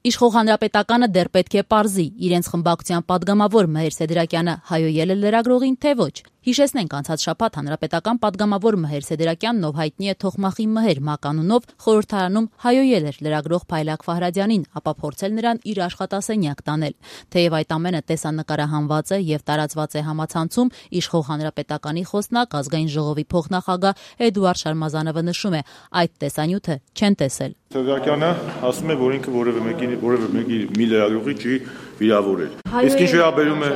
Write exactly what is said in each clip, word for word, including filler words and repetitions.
Իշխող հանրապետականը դեռ պետք է պարզի իրենց խմբակցության падգամավոր Մհեր Սեդրակյանը հայոյել է լրագրողին, թե ոչ։ Հիշեցնենք, անցած շաբաթ հանրապետական падգամավոր Մհեր Սեդրակյանն, ով հայտնի է Թոխմախի Մհեր մականունով, խորհրդարանում հայոյել էր լրագրող Փայլակ Ֆահրադյանին, ապա փորձել նրան իր աշխատասենյակ տանել։ Թեև այդ ամենը տեսանկարահանված է եւ տարածված է համացանցում, իշխող հանրապետականի խոսնակ, ազգային ժողովի փոխնախագահ Էդուարդ Շարմազանովը նշում է, այդ տեսանյութը չեն տեսել։ Սեդրակյանը ասում է, որ ինքը որևէ մեկի որևէ մեկի մի լրագրողի չի վիրավորել։ Իսկ ինչ վերաբերում է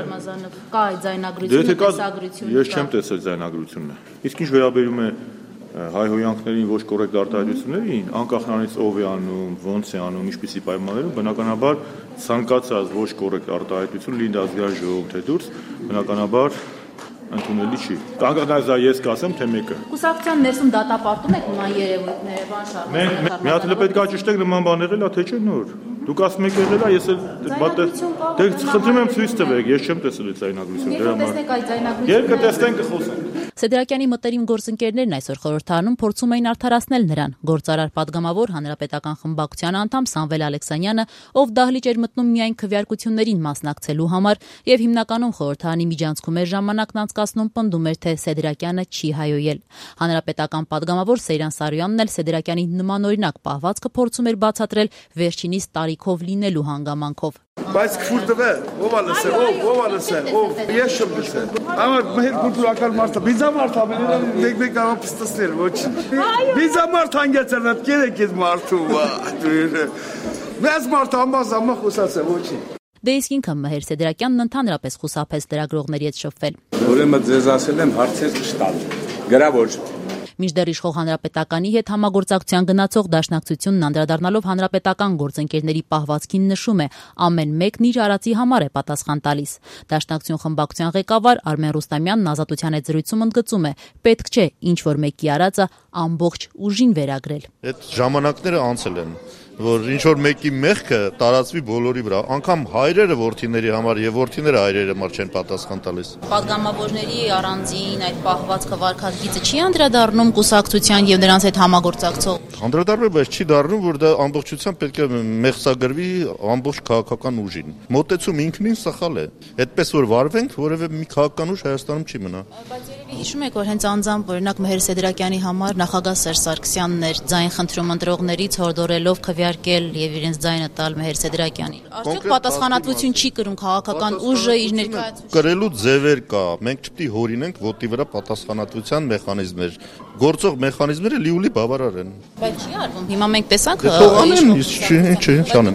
կա այդ ձայնագրությունը, տեսագրությունը։ Ես չեմ տեսել ձայնագրությունը։ Իսկ ինչ վերաբերում է հայհոյանքներին ոչ կոռեկտ արտահայտություններին, անկախ նրանից ով է անում, ոնց է անում, ինչպիսի պայմաններում, բնականաբար ցանկացած ոչ կոռեկտ արտահայտություն լինի դա ազգային ժողով թե դուրս, բնականաբար ընդունելի չի։ Անկախ դա ես կասեմ, թե մեկը։ Կուսակցության ներսում դատապարտում եք նման երևույթները, բան շարժ։ Մի հատ էլ պետք է ճշտեք նման բաներ էլա, թե չէ նոր։ Դուք ասում եք եղել է, ես էլ դե խնդրում եմ ցույց տվեք, ես չեմ տեսել այդ ձայնագրությունը, դրա համար։ Երբ կտեսնենք կխոսենք։ Սեդրակյանի մտերիմ գործընկերներն այսօր խորհրդարանում փորձում էին արդարացնել նրան։ Գործարար падգամավոր հանրապետական խմբակցության անդամ Սամվել Ալեքսանյանը, ով դահլիճ էր մտնում միայն քվեարկություններին մասնակցելու համար եւ հիմնականում խորհրդարանի միջանցքում էր ժամանակն անցկացնում, պնդում էր, թե Սեդրակյանը չի հայոյել։ Հանրապետական падգամավոր Սեյրան Սարոյանն էլ Սեդրակյանի նմանօրինակ պահվածքը փորձում էր բացատրել վերջինիս տարիքով լինելու հանգամանքով։ Բայց քֆուր տվե, ով ա լսել, ով, ով ա լսել, ով, ես չեմ լսել։ Ամար մեր կուլտուրական մարդը, բիզամարդ ա, մեկ-մեկ կարող պստասնել, ոչ։ Բիզամարդ հանգեցել նա կերեք ես մարդու, մեզ մարդ ամազ ամա խոսացել, ոչի։ Դե իսկ ինքը Մհեր Սեդրակյանն ընդհանրապես խուսափեց լրագրողների հետ շփվել։ Ուրեմն ձեզ ասել եմ հարցեր չտալ, գրավոր։ Մինչդեռ իշխող հանրապետականի հետ համագործակցության գնացող դաշնակցությունն անդրադառնալով հանրապետական գործընկերների պահվածքին նշում է, ամեն մեկն իր արածի համար է պատասխան տալիս։ Դաշնակցություն խմբակցության ղեկավար Արմեն Ռուստամյանն Ազատության հետ զրույցում ընդգծում է, պետք չէ ինչ որ մեկի արածը ամբողջ ուժին վերագրել։ Այդ ժամանակները անցել են, որ ինչ որ մեկի մեղքը տարածվի բոլորի վրա, անգամ հայրերը որդիների համար եւ որդիները հայրերի համար չեն պատասխան տալիս։ Պատգամավորների առանձին այդ պահվածքը վարկածգիծը չի անդրադառնում կուսակցության եւ նրանց հետ համագործակցող։ Անդրադառնում է, բայց չի դառնում, որ դա ամբողջությամբ պետք է մեղսագրվի ամբողջ քաղաքական ուժին։ Մոտեցում ինքնին սխալ է։ Այդպես որ վարվենք, որևէ մի քաղաքական ուժ Հայաստանում չի մնա։ Բայց երևի հիշում եք, որ հենց անձամբ օրինակ Մհեր Սեդրակյանի համար նախագահ Սերժ Սարգսյանն էր ձայն խնդրում ընտրողներից հորդորելով քվեարկել եւ իրենց ձայնը տալ Մհեր Սեդրակյանին։ Արդյոք պատասխանատվություն չի կրում քաղաքական ուժը իր ներկայացուցիչը։ Կրելու ձևեր կա։ Մենք չպետք է հորինենք ոտի վրա պատասխանատվության մեխանիզմներ։ Գործող մեխանիզմները լիուլի բավարար են։ Բայց չի արվում։ Հիմա մենք տեսանք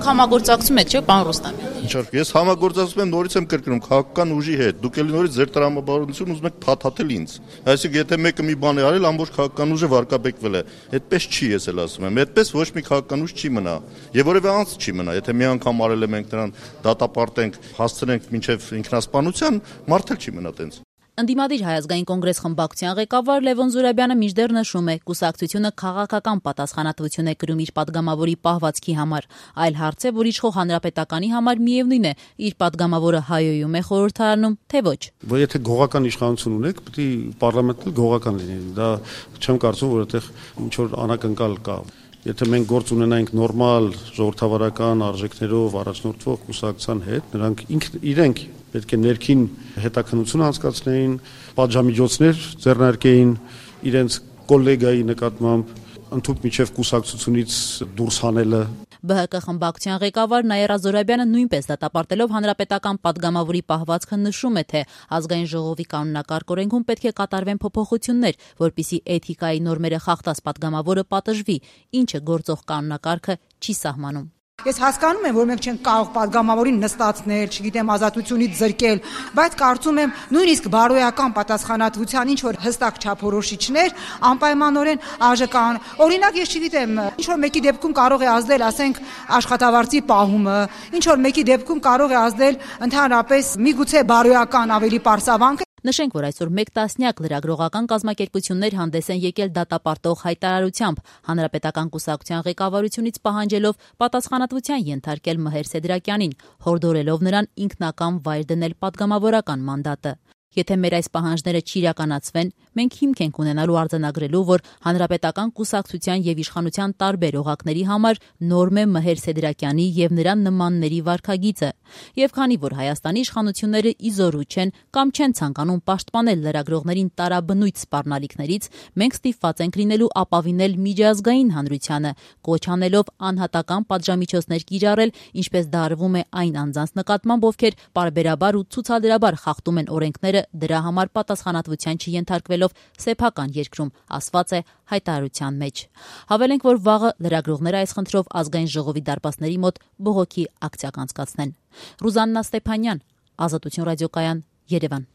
համագործակցում եք, չէ՞, պարոն Ռուստամյան։ Ինչա՞, ես համագործակցում եմ, նորից եմ կրկնում քաղաքական ուժի հետ։ Դուք ելի նորից ձեր տրամաբանությունը ուզում եք փաթաթել ինձ։ Այսինքն եթե մեկը մի բան է արել, ամբողջ քաղաքական ուժը վարկաբեկվել է։ Այդպես չի, ես էլ ասում եմ։ Այդպես ոչ մի քաղաքական ուժ չի մնա։ Եվ որևէ անձ չի մնա։ Եթե մի անգամ արել է մենք նրան դատապարտենք, հասցնենք մինչև ինքնասպանության, մարդ էլ չի մնա տենց։ Ընդդիմադիր Հայ ազգային կոնգրես խմբակցության ղեկավար Լևոն Զուրաբյանը մինչդեռ նշում է, կուսակցությունը քաղաքական պատասխանատվություն է կրում իր падգամավորի պահվածքի համար, այլ հարց է, որ իշխող հանրապետականի համար միևնույն է, իր падգամավորը հայոյում է խորհրդարանում, թե ոչ։ Որ եթե գողական իշխանություն ունեք, պետք է պարլամենտը գողական լինի։ Դա չեմ կարծում, որ այդտեղ ինչ որ անակնկալ կա։ Եթե մենք գործ ունենայինք նորմալ ժողովրդավարական արժեքներով առաջնորդվող կուսակցության հետ, նրանք ինքն իրենք պետք է ներքին հետաքննություն անցկացնեին, պատժամիջոցներ ձեռնարկեին իրենց կոլեգայի նկատմամբ, ընդհանուր միջև կուսակցությունից դուրս հանելը։ Բ Հ Կ խմբակցության ղեկավար Նաիրա Զորաբյանը նույնպես դատապարտելով հանրապետական падգամավորի պահվածքը նշում է, թե ազգային ժողովի կանոնակարգ օրենքում պետք է կատարվեն փոփոխություններ, որպիսի էթիկայի նորմերը խախտած падգամավորը պատժվի, ինչը գործող կանոնակարգը չի սահմանում։ Ես հասկանում եմ, որ մենք չենք կարող падգամավորին նստացնել, չգիտեմ, ազատությունից զրկել, բայց կարծում եմ նույնիսկ բարոյական պատասխանատվության ինչ որ հստակ չափորոշիչներ անպայմանորեն արժե կան։ Օրինակ, ես չգիտեմ, ինչ որ մեկի դեպքում կարող է ազդել, ասենք, աշխատավարձի պահումը, ինչ որ մեկի դեպքում կարող է ազդել ընդհանրապես միգուցե բարոյական ավելի պարսավանք։ Նշենք, որ այսօր մեկ տասնյակ լրագրողական կազմակերպություններ հանդես են եկել դատապարտող հայտարարությամբ, հանրապետական կուսակցության ղեկավարությունից պահանջելով պատասխանատվության ենթարկել Մհեր Սեդրակյանին, հորդորելով նրան ինքնական վայր դնել падգամավորական մանդատը։ Եթե մեր այս պահանջները չիրականացվեն, մենք հիմք ենք ունենալու արձանագրելու, որ հանրապետական կուսակցության եւ իշխանության տարբեր օղակների համար նորմ է Մհեր Սեդրակյանի եւ նրա նմանների վարքագիծը։ Եվ քանի որ Հայաստանի իշխանությունները իզորու չեն կամ չեն ցանկանում պաշտպանել լրագրողներին տարաբնույթ սպառնալիքներից, մենք ստիպված ենք լինելու ապավինել միջազգային հանրությանը, կոչ անելով անհատական պատժամիջոցներ կիրառել, ինչպես դա արվում է այն անձանց նկատմամբ, ովքեր պարբերաբար ու ցուցադրաբար խախտում են օրենքները, դրա համար պատասխանատվության չենթարկվելով սեփական երկրում, ասված է հայտարարության մեջ։ Հավելենք, որ վաղը լրագրողները այս խնդրով ազգային ժողովի դարպասների մոտ բողոքի ակցիա կանցկացնեն։ Ռուզաննա Ստեփանյան, Ազատություն ռադիոկայան, Երևան։